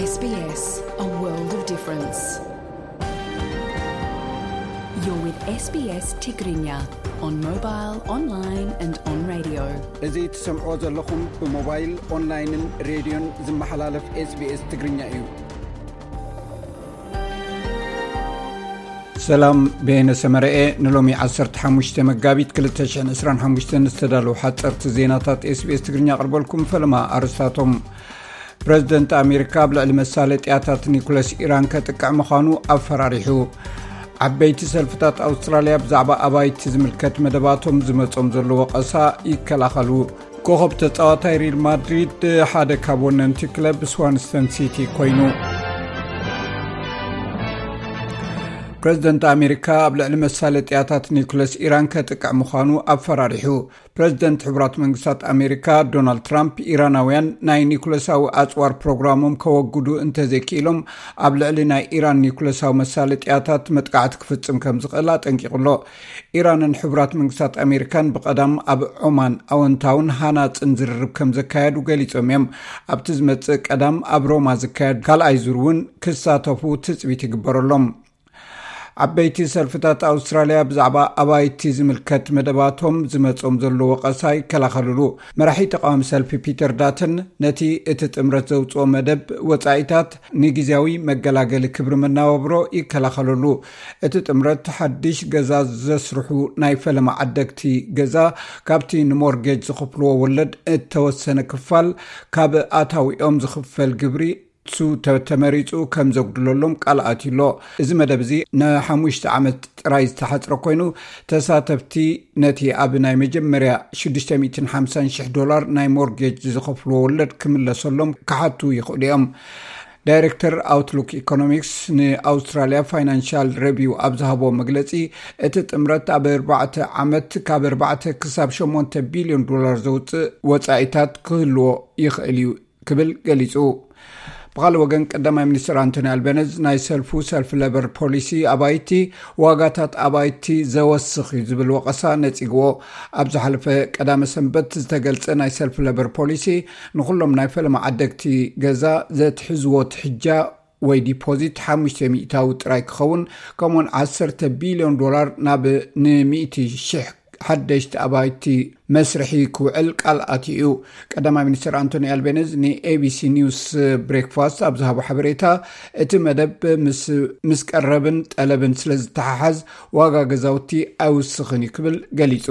S B S, a world of difference. You're with S B S Tigrinya on mobile, online and on radio. እዚ ትሰምዖ ዘለኹም ብሞባይል፣ ኦንላይንን ሬድዮን ዝመሓላለፍ SBS ትግርኛ እዩ። ሰላም፣ በየነ ሰመረኤ። ንሎሚ ዓሰርተ ሓሙሽተ መጋቢት ክልተ ሽሕን ዕስራን ሓሙሽተን ዝተዳለዉ ሓፀርቲ ዜናታት SBS ትግርኛ ኣቕርበልኩም። ፈለማ ኣርስታቶም። ፕረዚደንት ኣሜሪካ ኣብ ልዕሊ መሳለጥያታት ኒኩለስ ኢራን ከጥቅዕ ምዃኑ ኣፈራሪሑ። ዓበይቲ ሰልፍታት ኣውስትራልያ ብዛዕባ ኣባይቲ ዝምልከት መደባቶም ዝመጾም ዘሎ ወቐሳ ይከላኸሉ። ኮኸብ ተጻዋታይ ሪል ማድሪድ ሓደ ካብ ወነንቲ ክለብ ስዋንስተን ሲቲ ኮይኑ። ፕረዚደንት ኣሜሪካ ኣብ ልዕሊ መሳለጥያታት ኒኩለስ ኢራን ከጥቅዕ ምዃኑ ኣፈራሪሑ። ፕረዚደንት ሕቡራት መንግስታት ኣሜሪካ ዶናልድ ትራምፕ፣ ኢራናውያን ናይ ኒኩለሳዊ ኣጽዋር ፕሮግራሞም ከወግዱ እንተዘይክኢሎም፣ ኣብ ልዕሊ ናይ ኢራን ኒኩለሳዊ መሳለጥያታት መጥቃዕቲ ክፍጽም ከም ዝኽእል ኣጠንቂቑ ኣሎ። ኢራንን ሕቡራት መንግስታት ኣሜሪካን ብቐዳም ኣብ ዖማን ኣወንታውን ሃናጽን ዝርርብ ከም ዘካየዱ ገሊጾም እዮም። ኣብቲ ዝመጽእ ቀዳም ኣብ ሮማ ዝካየድ ካልኣይ ዙር እውን ክሳተፉ ትጽቢት ይግበረሎም። ዓበይቲ ሰልፍታት ኣውስትራልያ ብዛዕባ ኣባይቲ ዝምልከት መደባቶም ዝመጾም ዘሎ ወቐሳ ይከላኸልሉ። መራሒ ተቃዋሚ ሰልፊ ፒተር ዳተን ነቲ እቲ ጥምረት ዘውጽኦ መደብ ወጻኢታት ንግዜያዊ መገላገሊ ክብሪ መነባብሮ ይከላኸለሉ። እቲ ጥምረት ሓድሽ ገዛ ዘስርሑ ናይ ፈለማ ዓደግቲ ገዛ ካብቲ ንሞርጌጅ ዝኽፍልዎ ወለድ እተወሰነ ክፋል ካብ ኣታዊኦም ዝኽፈል ግብሪ ንሱ ተ-፣ ተመሪጹ ከም ዘጉድለሎም ቃል ኣትዩ ኣሎ። እዚ መደብ እዚ ንሓሙሽተ ዓመት ጥራይ ዝተሓጽረ ኮይኑ፣ ተሳተፍቲ ነቲ ኣብ ናይ መጀመርያ ሽዱሽተ ሚእትን ሓምሳን ሽሕ ዶላር ናይ ሞርጌጅ ዝኸፍልዎ ወለድ ክምለሰሎም ክሓቱ ይኽእሉ እዮም። ዳይሬክተር ኣውትሉክ ኢኮኖሚክስ ንኣውስትራልያ ፋይናንሻል ሬቪው ኣብ ዝሃቦ መግለጺ፣ እቲ ጥምረት ኣብ ኣርባዕተ ዓመት ካብ ኣርባዕተ ክሳብ ሸሞንተ ቢልዮን ዶላር ዘውጽእ ወጻኢታት ክህልዎ ይኽእል እዩ ክብል ገሊጹ። ብኻልእ ወገን፣ ቀዳማይ ሚኒስትር ኣንቶኒ ኣልበነዝ ናይ ሰልፉ ሰልፊ ለበር ፖሊሲ ኣባይቲ ዋጋታት ኣባይቲ ዘወስኽ እዩ ዝብል ወቐሳ ነጺግዎ። ኣብ ዝሓለፈ ቀዳመ ሰንበት ዝተገልጸ ናይ ሰልፊ ለበር ፖሊሲ ንኹሎም ናይ ፈለማ ዓደግቲ ገዛ ዘትሕዝዎ ትሕጃ ወይ ዲፖዚት ሓሙሽተ ሚእታዊ ጥራይ ክኸውን፣ ከምኡውን ዓሰርተ ቢልዮን ዶላር ናብ ንሚእቲ ሽሕ ሓደሽቲ ኣባይቲ መስርሒ ክውዕል ቃል ኣትዩ እዩ። ቀዳማይ ሚኒስትር ኣንቶኒ ኣልቤኒዝ ንኤቢሲ ኒውስ ብሬክፋስት ኣብ ዝሃቦ ሓበሬታ፣ እቲ መደብ ምስ፣ ምስ ቀረብን ጠለብን ስለ ዝተሓሓዝ ዋጋ ገዛውቲ ኣይውስኽን እዩ ክብል ገሊጹ።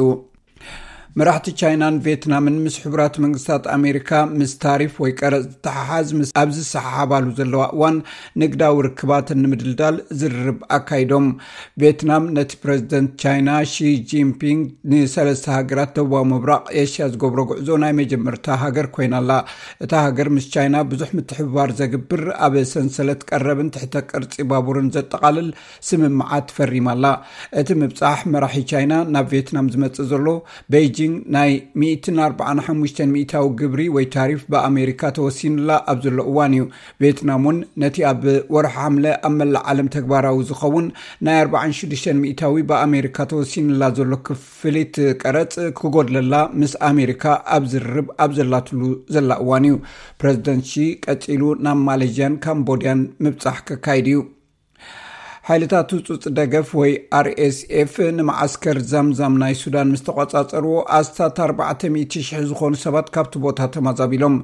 መራሕቲ ቻይናን ቪየትናምን ምስ ሕቡራት መንግስታት ኣሜሪካ ምስ ታሪፍ ወይ ቀረጽ ዝተሓሓዝ ምስ ኣብ ዝሰሓሓባሉ ዘለዋ እዋን፣ ንግዳዊ ርክባትን ንምድልዳል ዝርርብ ኣካይዶም። ቪየትናም ነቲ ፕረዚደንት ቻይና ሺ ጂንፒንግ ንሰለስተ ሃገራት ደቡባዊ ምብራቕ ኤሽያ ዝገብሮ ጉዕዞ ናይ መጀመርታ ሃገር ኮይና ኣላ። እታ ሃገር ምስ ቻይና ብዙሕ ምትሕብባር ዘግብር፣ ኣብ ሰንሰለት ቀረብን ትሕተ ቅርጺ ባቡርን ዘጠቓልል ስምምዓት ፈሪማ ኣላ። እቲ ምብጻሕ መራሒ ቻይና ናብ ቪየትናም ዝመጽእ ዘሎ፣ ቤይጂንግ ናይ ሚእትን ኣርባዓን ሓሙሽተን ሚእታዊ ግብሪ ወይ ታሪፍ ብኣሜሪካ ተወሲኑላ ኣብ ዘሎ እዋን እዩ። ቪየትናም እውን ነቲ ኣብ ወርሒ ሓምለ ኣብ መላእ ዓለም ተግባራዊ ዝኸውን ናይ ኣርባዓን ሽዱሽተን ሚእታዊ ብኣሜሪካ ተወሲኑላ ዘሎ ክፍሊት ቀረጽ ክጎድለላ ምስ ኣሜሪካ ኣብ ዝርርብ ኣብ ዘላትሉ ዘላ እዋን እዩ። ፕረዚደንት ሺ ቀጺሉ ናብ ማሌዥያን ካምቦድያን ምብጻሕ ከካይድ እዩ። ሓይልታት ህጹጽ ደገፍ ወይ ኣር ኤስ ኤፍ ንመዓስከር ዛምዛም ናይ ሱዳን ምስ ተቖጻጸርዎ፣ ኣስታት ኣርባዕተ ሚእቲ ሽሕ ዝኾኑ ሰባት ካብቲ ቦታ ተማዛቢሎም።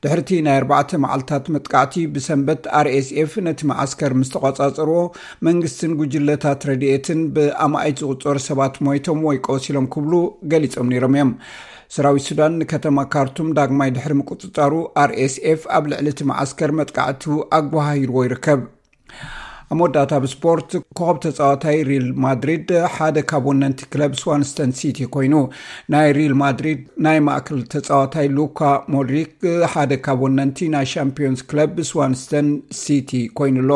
ድሕርቲ ናይ ኣርባዕተ መዓልታት መጥቃዕቲ፣ ብሰንበት ኣር ኤስ ኤፍ ነቲ መዓስከር ምስ ተቖጻጸርዎ፣ መንግስትን ጉጅለታት ረድኤትን ብኣማኢት ዝቑጸሩ ሰባት ሞይቶም ወይ ቆሲሎም ክብሉ ገሊጾም ነይሮም እዮም። ሰራዊት ሱዳን ንከተማ ካርቱም ዳግማይ ድሕሪ ምቁጽጻሩ፣ ኣር ኤስ ኤፍ ኣብ ልዕሊ እቲ መዓስከር መጥቃዕቱ ኣጓሃሂርዎ ይርከብ። ኣብ መወዳእታ፣ ኣብ ስፖርት፣ ኮኸብ ተጻዋታይ ሪል ማድሪድ ሓደ ካብ ወነንቲ ክለብ ስዋንስተን ሲቲ ኮይኑ። ናይ ሪል ማድሪድ ናይ ማእከል ተጻዋታይ ሉካ ሞድሪክ ሓደ ካብ ወነንቲ ናይ ሻምፒዮንስ ክለብ ስዋንስተን ሲቲ ኮይኑ ኣሎ።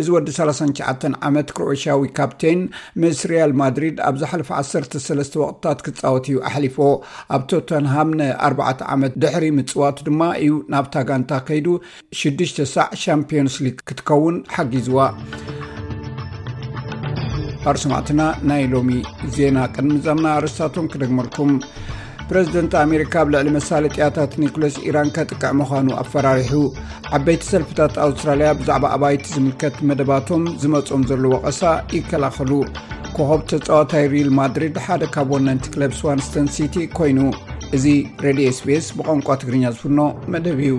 እዚ ወዲ ሰላሳን ትሽዓተን ዓመት ክሮኤሽያዊ ካፕቴን ምስ ሪያል ማድሪድ ኣብ ዝሓለፈ ዓሰርተ ሰለስተ ወቕትታት ክጻወት እዩ ኣሕሊፎ። ኣብ ቶተንሃም ንኣርባዕተ ዓመት ድሕሪ ምጽዋቱ ድማ እዩ ናብታ ጋንታ ከይዱ ሽዱሽተ ሳዕ ሻምፒዮንስ ሊግ ክትከውን ሓጊዝዋ። ኣር ሰማዕትና፣ ናይ ሎሚ ዜና ቅድሚ ምዛምና ኣርእስታቶም ክደግመልኩም። ፕረዚደንት ኣሜሪካ ኣብ ልዕሊ መሳለጥያታት ኒኩለስ ኢራን ከጥቅዕ ምዃኑ ኣፈራሪሑ። ዓበይቲ ሰልፍታት ኣውስትራልያ ብዛዕባ ኣባይቲ ዝምልከት መደባቶም ዝመጾም ዘሎ ወቐሳ ይከላኸሉ። ኮኸብ ተጻዋታይ ሪል ማድሪድ ሓደ ካብ ወነንቲ ክለብ ስዋንስተን ሲቲ ኮይኑ። እዚ ሬድዮ ኤስቢኤስ ብቋንቋ ትግርኛ ዝፍኖ መደብ እዩ።